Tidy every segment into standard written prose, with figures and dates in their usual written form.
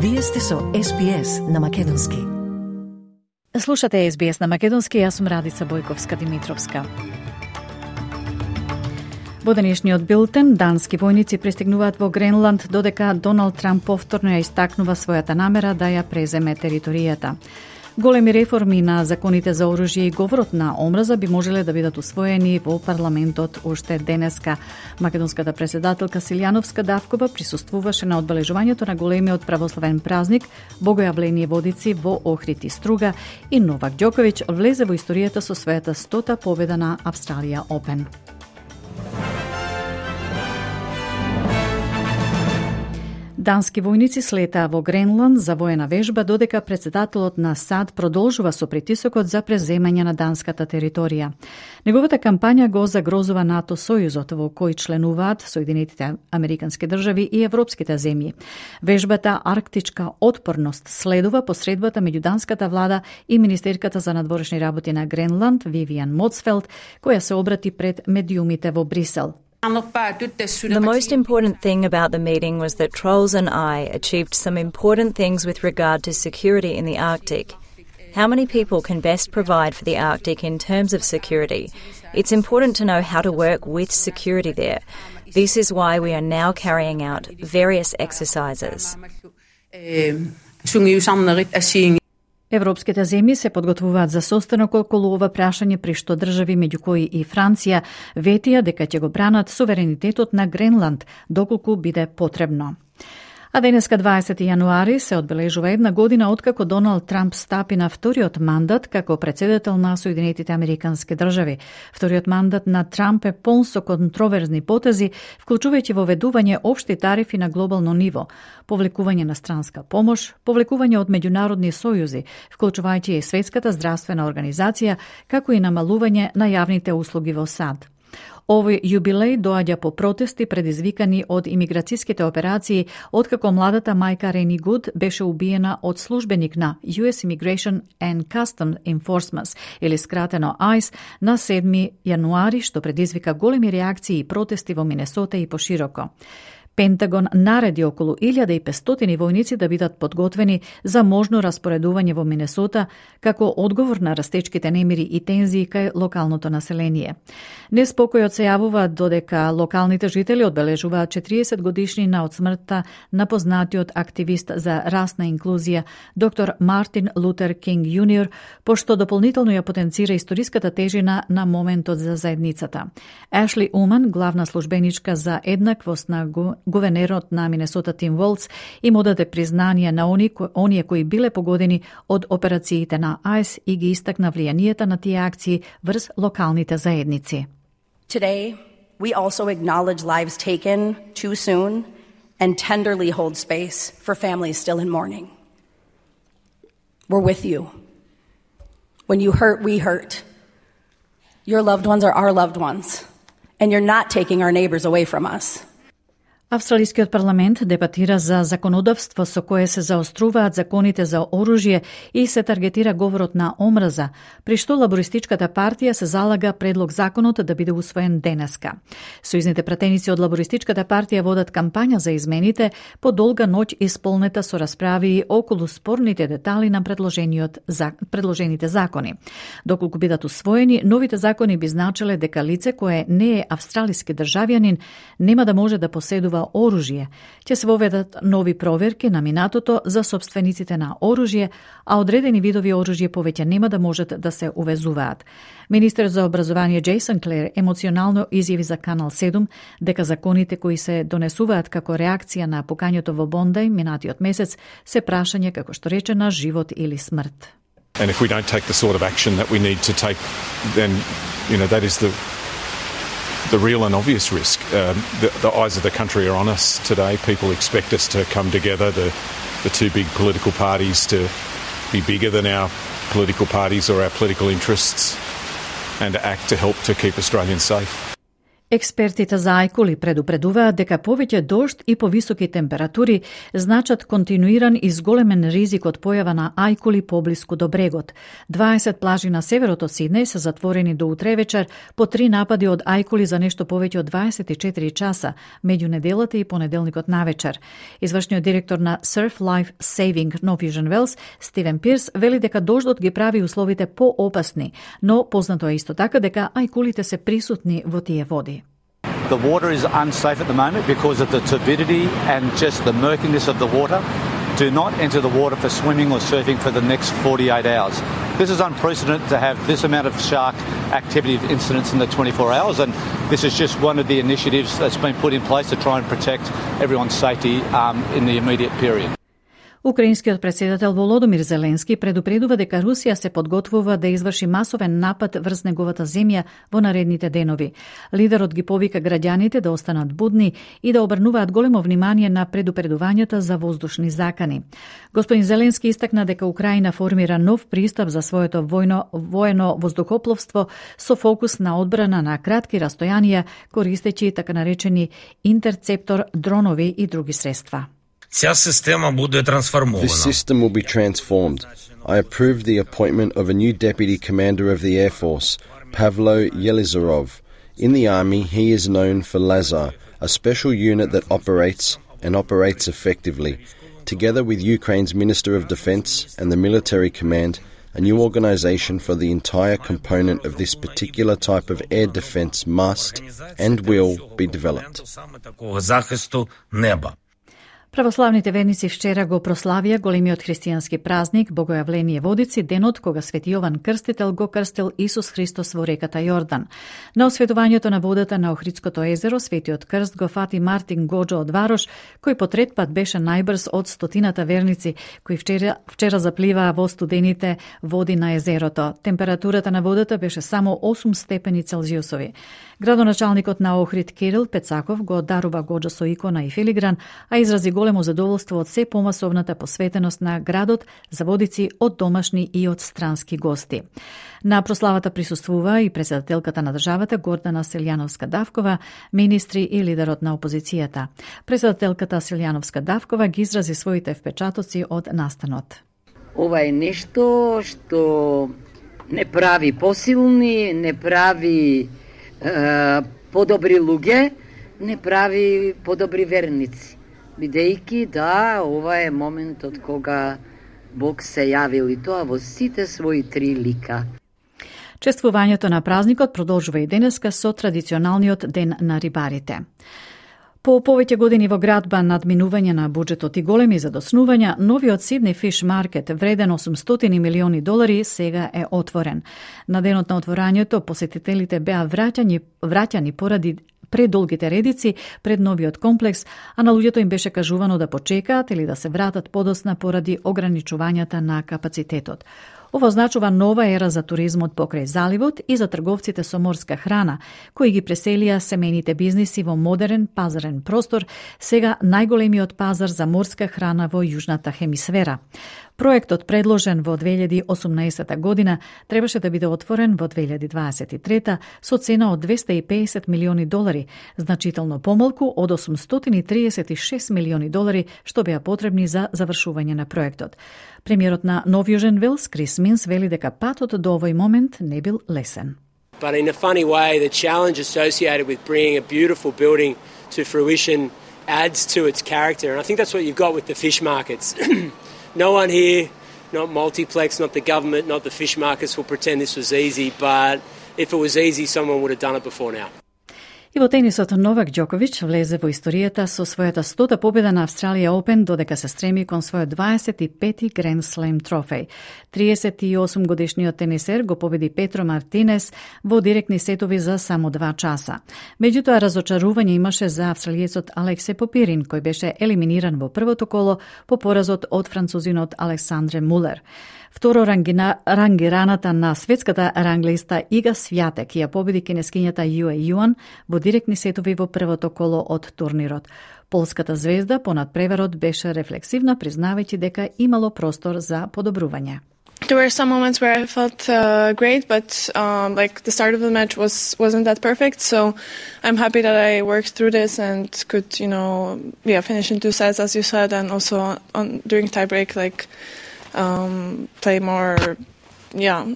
Вие сте со SBS на Македонски. Слушате SBS на Македонски, јас сум Радица Бојковска-Димитровска. Во денешниот билтен, дански војници пристигнуваат во Гренланд, додека Доналд Трамп повторно ја истакнува својата намера да ја преземе територијата. Големи реформи на законите за оружје и говорот на омраза би можеле да бидат усвоени во парламентот уште денеска. Македонската председателка Силјановска Давкова присуствуваше на одбележувањето на големиот православен празник Богојавление Водици во Охрид и Струга и Новак Ѓоковиќ влезе во историјата со својата 100-та победа на Австралија Опен. Дански војници слетаа во Гренланд за воена вежба, додека председателот на САД продолжува со притисокот за преземање на данската територија. Неговата кампања го загрозува НАТО сојузот во кој членуваат Соединетите Американски држави и европските земји. Вежбата Арктичка отпорност следува посредбата меѓу данската влада и министерката за надворешни работи на Гренланд Вивиан Моцфелд, која се обрати пред медиумите во Брисел. The most important thing about the meeting was that Trolls and I achieved some important things with regard to security in the Arctic. How many people can best provide for the Arctic in terms of security? It's important to know how to work with security there. This is why we are now carrying out various exercises. Европските земји се подготвуваат за состанок околу ова прашање, при што држави меѓу кои и Франција ветија дека ќе го бранат суверенитетот на Гренланд доколку биде потребно. А денеска 20 јануари се одбележува една година откако Доналд Трамп стапи на вториот мандат како председател на Соединетите Американски држави. Вториот мандат на Трамп е полн со контроверзни потези, вклучувајќи воведување општи тарифи на глобално ниво, повлекување на странска помош, повлекување од меѓународни сојузи, вклучувајќи и Светската здравствена организација, како и намалување на јавните услуги во САД. Овој јубилеј доаѓа по протести предизвикани од имиграцијските операции, откако младата мајка Рени Гуд беше убиена од службеник на US Immigration and Customs Enforcement, или скратено ICE, на 7 јануари, што предизвика големи реакции и протести во Минесота и пошироко. Пентагон нареди околу 1500 војници да бидат подготвени за можно распоредување во Минесота како одговор на растечките немири и тензии кај локалното население. Неспокојот се јавува додека локалните жители одбележуваат 40 годишнина од смртта на познатиот активист за расна инклузија доктор Мартин Лутер Кинг Јуниор, пошто дополнително ја потенцира историската тежина на моментот за заедницата. Ашли Уман, главна службеничка за еднаквост на гувернерот на Минесота Тим Волц, им одаде признание на оние кои биле погодени од операциите на ICE и ги истакна влијанието на тие акции врз локалните заедници. Today, we also acknowledge lives taken too soon and tenderly hold space for families still in mourning. We're with you. When you hurt, we hurt. Your loved ones are our loved ones, and you're not taking our neighbors away from us. Австралискиот парламент дебатира за законодавство со кое се заоструваат законите за оружје и се таргетира говорот на омраза, при што лабористичката партија се залага предлог законот да биде усвоен денеска. Сојузните пратеници од лабористичката партија водат кампања за измените по долга ноќ исполнета со расправи околу спорните детали на предложените закони. Доколку бидат усвоени, новите закони би значеле дека лице кое не е австралиски државјанин нема да може да поседува оружје. Ќе се воведат нови проверки на минатото за собствениците на оружје, а одредени видови оружје повеќе нема да можат да се увезуваат. Министер за образование Джейсон Клер емоционално изјави за Канал 7 дека законите кои се донесуваат како реакција на покањето во Бондај минатиот месец се прашање како што рече на живот или смрт. And if we don't take the sort of action that we need to take, then that is the real and obvious risk. The eyes of the country are on us today. People expect us to come together, the two big political parties to be bigger than our political parties or our political interests, and to act to help to keep Australians safe. Експертите за ајкули предупредуваат дека повеќе дожд и повисоки температури значат континуиран и зголемен ризик од појава на ајкули поблиску до брегот. 20 плажи на северот од Сиднеј се затворени до утре вечер по 3 напади од ајкули за нешто повеќе од 24 часа меѓу неделата и понеделникот навечер. Извршниот директор на Surf Life Saving New Vision Wells, Стивен Пирс, вели дека дождот ги прави условите поопасни, но познато е исто така дека ајкулите се присутни во тие води. The water is unsafe at the moment because of the turbidity and just the murkiness of the water. Do not enter the water for swimming or surfing for the next 48 hours. This is unprecedented to have this amount of shark activity incidents in the 24 hours, and this is just one of the initiatives that's been put in place to try and protect everyone's safety in the immediate period. Украинскиот претседател Володомир Зеленски предупредува дека Русија се подготвува да изврши масовен напад врз неговата земја во наредните денови. Лидерот ги повика граѓаните да останат будни и да обрнуваат големо внимание на предупредувањата за воздушни закани. Господин Зеленски истакна дека Украина формира нов пристап за своето воено воздухопловство со фокус на одбрана на кратки растојанија, користејќи така наречени интерцептор дронови и други средства. This system will be transformed. I approved the appointment of a new Deputy Commander of the Air Force, Pavlo Yelizarov. In the Army, he is known for Lazar, a special unit that operates effectively. Together with Ukraine's Minister of Defense and the Military Command, a new organization for the entire component of this particular type of air defense must and will be developed. Православните верници вчера го прославија големиот христијански празник Богојавление Водици, денот кога Свети Јован Крстител го крстил Исус Христос во реката Јордан. На осветувањето на водата на Охридското езеро, Светиот крст го фати Мартин Гоџо од Варош, кој по трет пат беше најбрз од стотината верници кои вчера запливаа во студените води на езерото. Температурата на водата беше само 8 степени Целзиусови. Градоначалникот на Охрид Кирил Пецаков го дарува Гоџо со икона и филигран, а изрази големо задоволство од се помасовната посветеност на градот за водици од домашни и од странски гости. На прославата присуствува и председателката на државата Гордана Селјановска-Давкова, министри и лидерот на опозицијата. Председателката Селјановска-Давкова ги изрази своите впечатоци од настанот. Ова е нешто што не прави посилни, не прави подобри луѓе, не прави подобри верници. Бидејќи да, ова е моментот кога Бог се јавил и тоа во сите своји 3 лика. Чествувањето на празникот продолжува и денеска со традиционалниот ден на рибарите. По повеќе години во градба надминување на буџетот и големи задоснувања, новиот Сиднеј Фиш Маркет, вреден $800 милиони, сега е отворен. На денот на отворањето посетителите беа враќани поради предолгите редици пред новиот комплекс, а на луѓето им беше кажувано да почекаат или да се вратат подосна поради ограничувањата на капацитетот. Ова означува нова ера за туризмот покрај заливот и за трговците со морска храна, кои ги преселија семејните бизниси во модерен пазарен простор, сега најголемиот пазар за морска храна во јужната хемисфера. Проектот, предложен во 2018 година, требаше да биде отворен во 2023 со цена од $250 милиони, значително помалку од $836 милиони што беа потребни за завршување на проектот. Премиерот на Нов Јужен Велс, Крис Минс, вели дека патот до овој момент не бил лесен. But in a funny way, the challenge associated with bringing a beautiful building to fruition adds to its character. And I think that's what you've got with the fish markets. No one here, not Multiplex, not the government, not the fish markets will pretend this was easy, but if it was easy, someone would have done it before now. И во тенисот Новак Ѓоковиќ влезе во историјата со својата 100-та победа на Австралија Опен, додека се стреми кон својот 25-ти Гранд Слем трофеј. 38-годишниот тенисер го победи Петро Мартинес во директни сетови за само 2 часа. Меѓутоа, разочарување имаше за австралиецот Алексе Попирин, кој беше елиминиран во првото коло по поразот од французинот Александре Мулер. Второ рангираната на светската ранглиста Ига Свјатек ја победи кинескињата Юе Јуан во директни сетови во првото коло од турнирот. Полската звезда понад преварот беше рефлексивна, признавајќи дека имало простор за подобрување. There were some moments where I felt great, but like the start of the match wasn't that perfect. So I'm happy that I worked through this and could, finish in 2 sets, as you said, and also during tiebreak, like play more,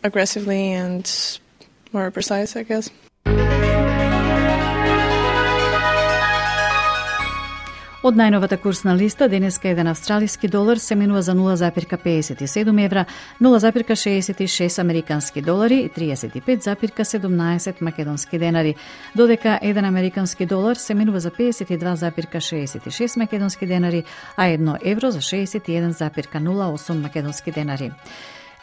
aggressively and more precise, I guess. Од најновата курсна листа, денеска еден австралиски долар се менува за 0,57 евра, 0,66 американски долари и 35,17 македонски денари, додека еден американски долар се менува за 52,66 македонски денари, а 1 евро за 61,08 македонски денари.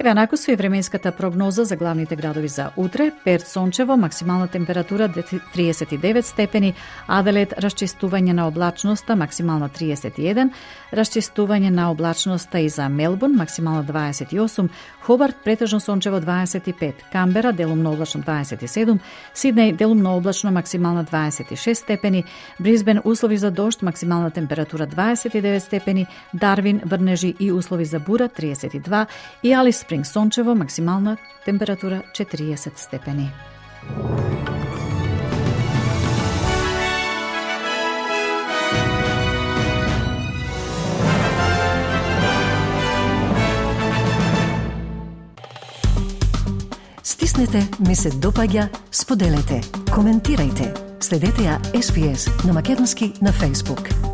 Еве анаку со и временската прогноза за главните градови за утре. Перт сончево, максимална температура 39 степени, Аделаид расчистување на облачноста, максимална 31, расчистување на облачноста и за Мелбурн, максимална 28, Хобарт претежно сончево 25, Камбера делумно облачно 27, Сиднеј делумно облачно, максимална 26 степени, Брисбен услови за дожд, максимална температура 29 степени, Дарвин врнежи и услови за бура 32 и Алис Спринг сончево, максимална температура 40 степени. Стиснете, ми се допаѓа, споделете, коментирајте. Следете ја SPS на Македонски на Facebook.